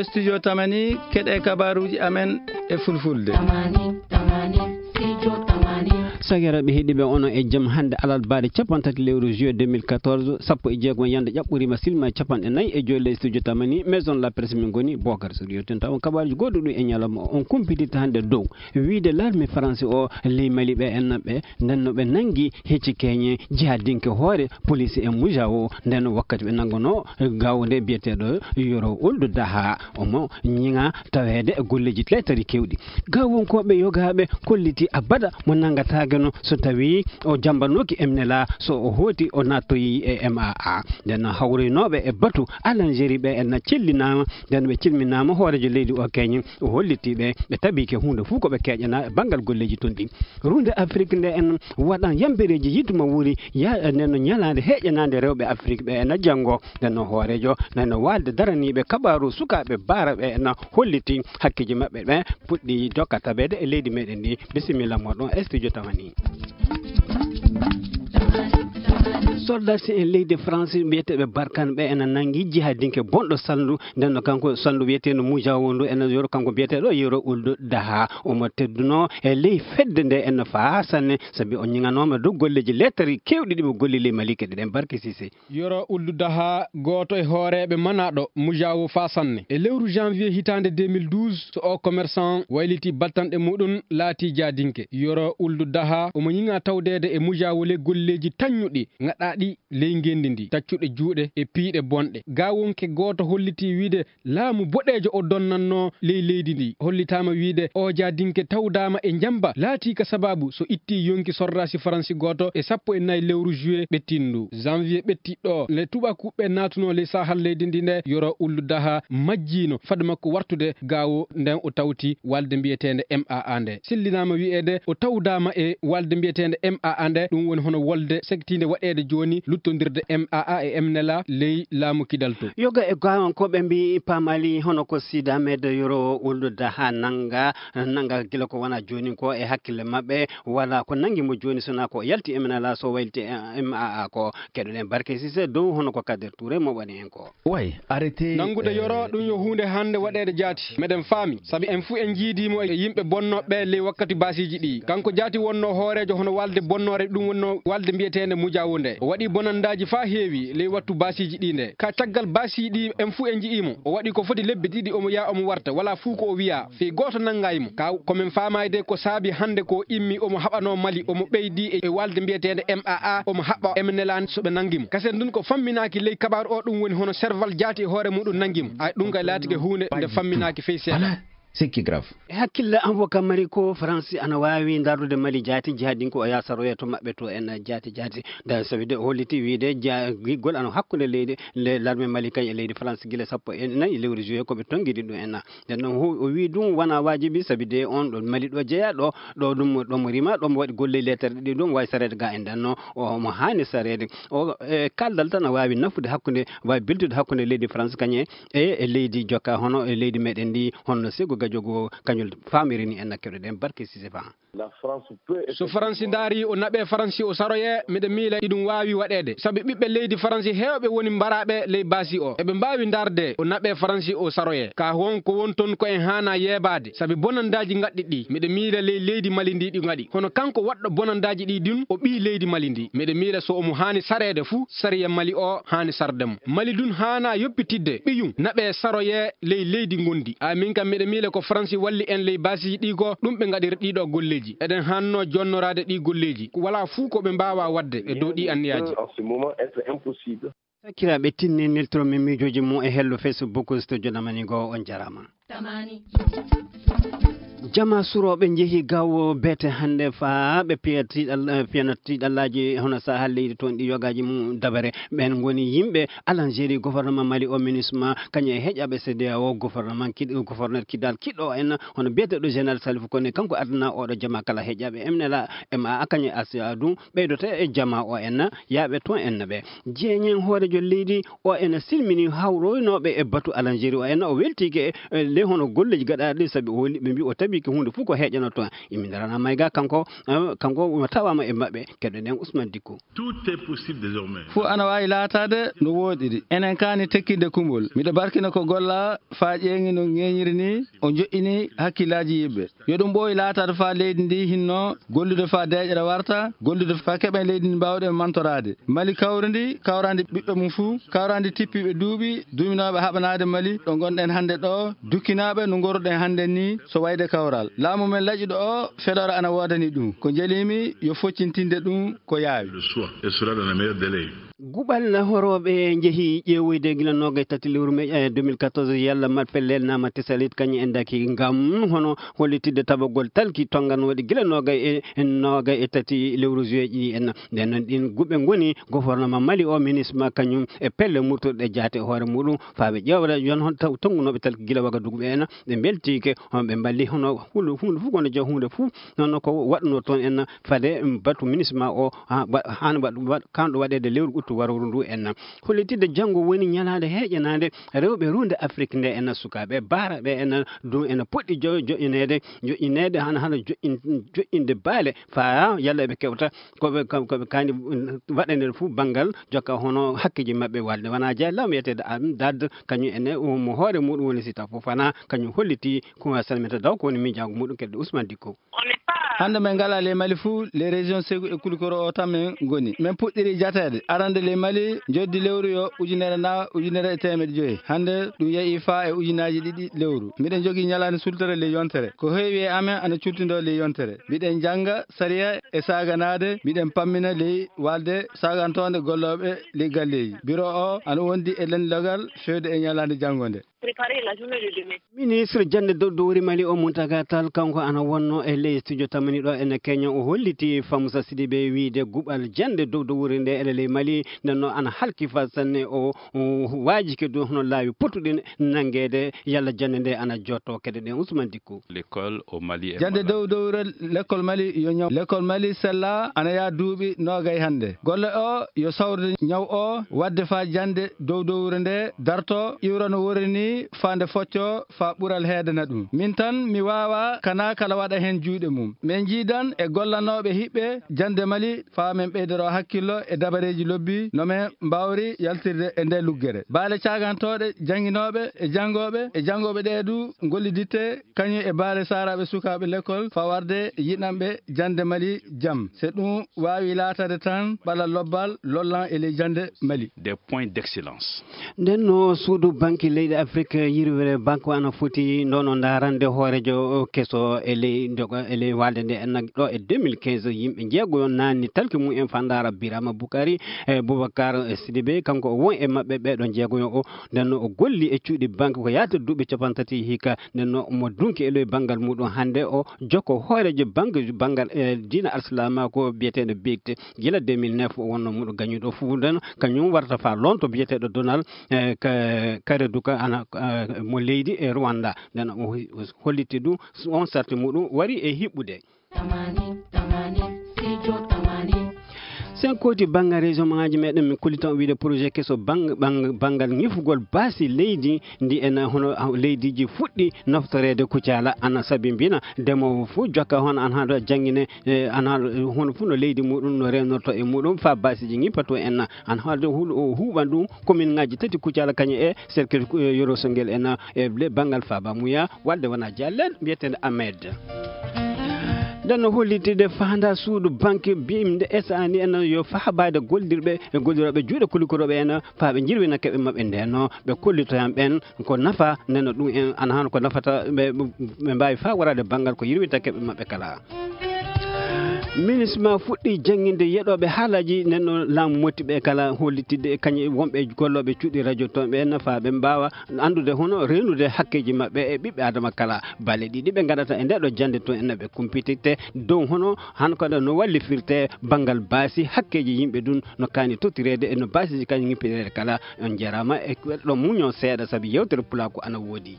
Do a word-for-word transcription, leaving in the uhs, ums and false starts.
Studio Tamani, keɗe kabaruuji amen e fulfulde. Tamani, Tamani, Studio Tamani. Sakiraaɓe heɗiiɓe, onon e jam. Hannde alarbaare cappanɗe tati lewru juillet deux mille quatorze, sappo e jeego ñande ƴaɓɓoriima, silma capanɗe nayi e joy ley Studio Tamani, Maison la Presse min ngoni, Bocar Soriyo. Tenta on kabaaruuji goɗɗo ɗum e ñalawma o, on kumpitirta hannde dow wiide l'armée France o ley Mali ɓe en ɓe, nden no ɓe nanngi hecci keñe jihadinke hoore police e Mujaawo, nden wakkati ɓe nanngono gaawo nde biyeteeɗo Yoro Uldu Daha, omo ñiŋa taweede e golleeji tletari kewɗi. Gaawonkooɓe yogaaɓe kolliti abada mo nanngataake no so tawii o jambanooki M N L A, so o hooti o naattoyi e M A A. Nden hawroynooɓe e batu Alanjeri ɓe en cellinaama, nden ɓe cilminaama hooreejo leydi o keñen, o hollitii ɓe, ɓe tabiike huunde fof ko ɓe keeƴanaa e banngal golleeji toon ɗi. Runde Afrik nde en waɗan yambereeji yiduma wuri ya, nden no ñalaande heeƴanaande rewɓe Afrik ɓe en janngo. Nden no hooreejo, nden no waalde daraniiɓe kabaaru sukaaɓe baara ɓe en holliti hakkeeji maɓɓe ɓe puɗɗi dokka tabeede e leydi meɗen ndi. Bisimilla moɗon e Studio Tamani. Soldat si en leydi France mbiyeteeɓe Barkan ɓe ena nanngi jihadinke bonɗo salndu, nden no kanko salndu wiyeteeno Mujaawo ndu ena yoro kanko mbiyeteeɗo Yoro Uldu Daha. Omo tedduno e ley fedde nde ena faa sanne, sabi o ñiŋanooma dow golleeji lettari keewɗi ɗi mo golli ley Mali keɗe ɗen. Barke Sise. Yoro Uldu Daha, gooto e hooreeɓe manaaɗo Mujaawo faa sanne. E lewru janvier hitaande deux mille douze, so o commerçant wayliti battanɗe muɗum, laati jaadinke. Yoro Uldu Daha, omo ñiŋa tawdeede e Mujaawo le golleeji taññuɗi, ngaɗaaɗi ley ngenndi ndi, taccuɗe juuɗe e piiɗe bonɗe. Gaawonke gooto hollitii wiide laamu boɗeejo o donnannoo ley leydi ndi. Hollitaama wiide o jaadinke tawdaama e njamba, laatii ka sabaabu so ittii yonki sordaasi Faransi gooto e sappo e nayi lewru juillet ɓettiiɗo ndu. Janvier ɓettiiɗo, nde tubakuɓe naatunoo ley saahal leydi ndi nde, Yoro Uldu Daha majjiino fade makko wartude gaawo nden o tawti walde mbiyeteende M A A nde. Sellinaama wiyeede o tawdaama e walde mbiyeteende M A A nde, ɗum woni hono wolde sektiinde waɗeede jooni luttondirde M A A e M N L A ley laamu Kidal to. Yoga e gaawankooɓe mbii paamali hono ko Sidi Ahmed Yoro Uldu Daha nannga, nannga gila ko wona jooni ko e hakkille maɓɓe, wala ko nanngi mo jooni sona ko yalti M N L A so wayliti M A A ko. Keɗoɗen Barke Sise dow hono ko Kader Touré mo waɗi en ko. Way, arrêté, Nanngude eh, Yoro ɗum yo huunde hannde waɗeede jaati. Meɗen faami, sabi en fuu en njiidiimo e yimɓe bonnooɓe ley wakkati baasiiji ɗi. Kanko jaati wonnoo hooreejo hono walde bonnoore, ɗum wonnoo walde mbiyeteende Mujaawo nde. O waɗi bonandaaji faa heewi ley wattu baasiiji ɗi nde. Ka caggal baasiiji ɗi en fuu en nji'iimo. O waɗi ko foti lebbi ɗiɗi omo yaha omo warta, wala fuu ko o wiya. Fii gooto nanngaay mo. Ka ko men faamaayde ko saabi hannde ko immi omo haɓanoo Mali, omo ɓeydi e, e walde mbiyeteende M A A, omo haɓa M N L A so ɓe nanngi mo. Kasen ndun ko famminaaki ley kabaaru o, ɗum woni hono serval jaati e hoore muɗum nanngi mo. Ay, ɗum kay laatike huunde nde famminaaki fey seeɗa. Voilà, c'est qui grave. E hakkille an wo ka mari ko Faransi ana waawi ndardude Mali jaati jihadin ko o yaha saroya to maɓɓe to en jaati jaati. Da sabi de o holliti wiide ja-, giggol ana hakkunde leydi, le, l'armée Mali kañ e leydi France gila sappo e nayi lewru juillet ko ɓe tongidi ɗum en. Nden noon, o, o wii ɗum wona waajibi, sabi de on ɗo Mali ɗo jeyaa ɗo, ɗo ɗum, ɗo mo rima, ɗo mo waɗi golle lettere ɗiɗi ɗum, waawi sareede ga e nden noon, o mo haani sareede. O, e kaldal tan a waawi nafude hakkunde, waawi beltude hakkunde leydi France kañe e, e leydi jokka, hono e leydi meɗen ndi, hono Sego Gajogo kañol famiri ni en keɗoɗen Barke Sise Ba. La France peut So Faransi ndaari o naɓe Faransi o saroye, miɗa miila iɗum waawi waɗeede. Sabi ɓiɓɓe leydi Faransi heewɓe woni mbaraaɓe ley baasi o. Eɓe mbaawi ndaarde o naɓe Faransi o saroye. Ka won ko won toon ko en haana yeebaade. Sabi bonandaaji ngaɗɗi ɗi, miɗa miila ley leydi Mali ndi ɗi ngaɗi. Hono kanko waɗɗo bonandaaji ɗi ɗin, o ɓii leydi Mali ndi. Miɗa miila so omo haani sareede fuu, sariya Mali o haani sarde mo. Mali dun haana yoppitidde ɓiyum naɓe saroye ley leydi ngondi. A min kam miɗa miila ko Faransi walli en ley baasiiji ɗi ko ɗum ɓe ngaɗiri ɗiɗo golleeji. Eɗen haanno jonnoraade ɗi golleeji. Ko wala fuu ko ɓe mbaawa waɗde e dow ɗi anniyaaji. En ce moment, être impossible. Sakiraaɓe, tinni niltoro min miijooji mum e hello Facebook, so jonamani go on jaraama. Tamani. Jama surooɓe njehi gawo beete hannde faa ɓe piya tiiɗal-, eh, piyana tiiɗallaaji hono sahal leydi toon ɗi yogaaji mum dabare. Ɓeen ngoni yimɓe Algérie, gouvernement Mali o, MINUSMA, kañum e heƴaɓe C D A O, gouvernement kiɗ-, gouverneur Kidal kiɗɗo en, hono biyeteeɗo Général Salif Koné, kanko adana oɗo jama kala heƴaɓe M N L A, M A A, kañum e A C A ɗum ɓeydoto e jama o en, yaaɓe toon en ɓe. Jeeñen hooreejo leydi o ena silmini hawroynooɓe e batu Alanjeri o ena o weltiike e, e ley hono golleeji gaɗaaɗi, sabi o woni ɓe mbi o tawi Ɓikke huunde fof ko heƴanotoo. Imi ndarana Mayga kanko, eh, kanko o tawaama e maɓɓe. Keɗoɗen Ousmane Dicko. Tout est possible désormais. Fof ana waawi laataade no wooɗiri. Enen kaani tekkinde kumol. Miɗo barkina ko golla faa ƴeeŋi no ŋeeñiri ni, o joƴƴini hakkillaaji yimɓe. Yo ɗum ɓooyi laataade faa leydi ndi hinno gollude faa deeƴere warta, gollude faa keɓen leydi ndi mbaawɗen mantoraade. Mali kawrindi, kawrandi ɓiɓɓe mum fuu, kawrandi tippiiɓe duuɓi, duuminooɓe haɓanaade Mali, ɗo ngonɗen hannde ɗo, dukkinaaɓe no ngoruɗen hannde ni, so wayde kawral. Laamu men laƴuɗo o, feloore ana woodani ɗum. Ko njeliimi, yo foccintinde ɗum ko yaawi. Le soir, et cela dans les meilleurs délais. Guɓal horooɓe njehi ƴeewoyde gila noogay tati lewru me, eh, deux mille quatorze, yalla mat pellel naama tesalit kañum en daki ngam hono hollitidde tabagol talki tonganooɗi gila noogay e, e noogay e tati lewru juillet ɗi en. Nden noon ɗin guɓe ngoni gouvernement Mali o, ministre ma kañum e pelle murtuɗe jaate e hoore muɗum, faa ɓe ƴeewra yon hon taw tonngunooɓe talki gila Wagadugu ɓe en, ɓe mbeltiike, on ɓe mballi hono hulu-, huunde fof kono jo huunde fof, noon ko waɗunoo toon en fade, mm, batu ministre ma o, ha, wa-, haani waɗ-, waɗ-, kanɗo waɗeede lewru ɓuttu warooru ndu en. Hollitidde janngo woni ñalaande heeƴanaande rewɓe ruunde Afrik nde en, sukaaɓe baara ɓe en, ɗum ene poɗɗi jo-, joƴƴineede, joƴƴineede hana, hana joƴƴin-, joƴƴinde baale faa yalla ɓe kewta ko ɓe, ko ɓe kaani waɗaneede fof banngal jokka hono hakkeeji maɓɓe walde. Wonaa jeya law wiyeteeɗo Amdad, kañum ene mo hoore muɗum woni Sita Fofana, kañum holliti ko salmita daw ko woni miijaagu muɗum keɗɗo Ousmane Dicko. Hannde men ngalaa ley Mali fuu, ley région Ségou e Koulikoro o tan men ngoni. Men puɗɗiri jateede. Arande ley Mali, njoddi lewru yo ujunere na ujunere e teemedde joyi. Hannde ɗum yehi faa e ujunaaji ɗiɗi lewru. Miɗen njogii ñalaande sultere ley yontere. Ko heewi e amen ana cultindoo ley yontere. Miɗen njannga sariya e saaganaade, miɗen pammina ley walde saagantoonde gollooɓe ley galleeji. Biro o ana wondi e lenndogal feewde e ñalaande janngo nde. Préparer la journée de demain. Ministre jannde dow dowri Mali o, Mountaga Tall, kanko ana wonno e ley studio tamani ɗo ene Kenya. O holliti Famoussa Sidibé wiide guɓal jannde dow dowri nde ene ley Mali, nden noon ana halki faa sanne. O, o waajike dow hono laawi potuɗi nanngeede yalla jannde nde ana jotto. Keɗoɗen Ousmane Dicko. L'école au Mali et Jannde Mali. Dow dowre lekkol Mali yo ñaw. Lekkol Mali sella ana yaa duuɓi noogay hannde. Golle o yo sawrude ñaw o, waɗde faa jannde dow dowre nde darto, iwra no worri ni faa nde foccoo, faa ɓural heedana ɗum. Min tan mi waawaa kana kala waɗa heen juuɗe mum. Min njiidan e gollanooɓe hiɓɓe jannde Mali faa min ɓeydoroo hakkillo e dabareeji lobbi no min mbaawri yaltirde e nde luggere. Baale caagantooɗe jannginooɓe e janngooɓe e janngooɓe ɗee du ngolliditte kañum e baale saaraaɓe sukaaɓe lekkol fawarde yiɗanɓe jannde Mali jam. So ɗum waawi laataade tan ɓalal lobbal lollan e ley jannde Mali. Des points d'excellence. Nden no suudu banki leyɗe Afrik yirwere banque ana foti ndono ndaarande hoorejo keso e ley ndoga, e ley walde nde en ɗo e deux mille quinze, yimɓe jeegoyo naanni talki mum en faa ndaara Birama Bukari e Boubacar Sidibé, kanko o won e maɓɓe ɓeɗo jeegoyo o. Nden no o golli e cuuɗi banque ko yaata duuɓi capanɗe tati hikka. Nden no mo dunki e ley banngal muɗum hannde o jokko hoorejo banque, banngal e diina alsilaama ko biyeteeɗo bigte gila deux mille neuf o wonno muɗo gañuɗo fuu. Nden kañum warta faa lonto biyeteeɗo Donald, eh, Ka-, Kareduka ana, eh, mo leydi e Rwanda. Nden o holliti ɗum on sarti muɗum wari e hiɓɓude. Tamani, tamani, studio tamani. Sen kooti banngal région maaji meɗen, min kollita on wiide projet keso bang-, bang-, banngal ñifugol baasi leydi ndi en hono leydiiji fuɗɗi naftoreede Kucala ana sabi mbina demoowo fof jokka hono an haɗo janngine, eh, an haɗo hono fof no leydi muɗum no rewnorto e muɗum faa baasiiji ñippato en an haɗo hul-, o huuɓan ɗum commune ngaji tati Kucala kañum e cercle, eh, Yoro Songel en e le banngal Faba Mouya. Wadde wona Diallo mbiyeteeɗo Ahmed. Nden no hollitde faanda suudu banque bimde S A ni en yo fahabaade gollirɓe e gollirooɓe juuɗe kulikorooɓe en faa ɓe njirwina keɓe maɓɓe. Nden no ɓe kollitoyan ɓen ko nafa, nden no ɗum en ana hano ko nafata ɓe, ɓe mbaawi faa waraade banngal ko yirwinta keɓe maɓɓe kala. Minisma fuɗɗi jannginde yeɗooɓe haalaaji, nden no laamu motti ɓe kala hollitidde e kañum wonɓe gollooɓe cuuɗi radio toon ɓe nafa ɓe mbaawa anndude hono reenude hakkeeji maɓɓe e ɓiɓɓe Adama kala. Balle ɗiɗi ɓe ngaɗata e nde ɗo jannde toon en ɓe kumpititte dow hono han kadi no wallifirte banngal baasi hakkeeji yimɓe ɗum no kaani tottireede e no baasiji kañum ŋippireede kala. On njaaraama e ɗo muño seeɗa sabi yewtere pulaaku ana woodi.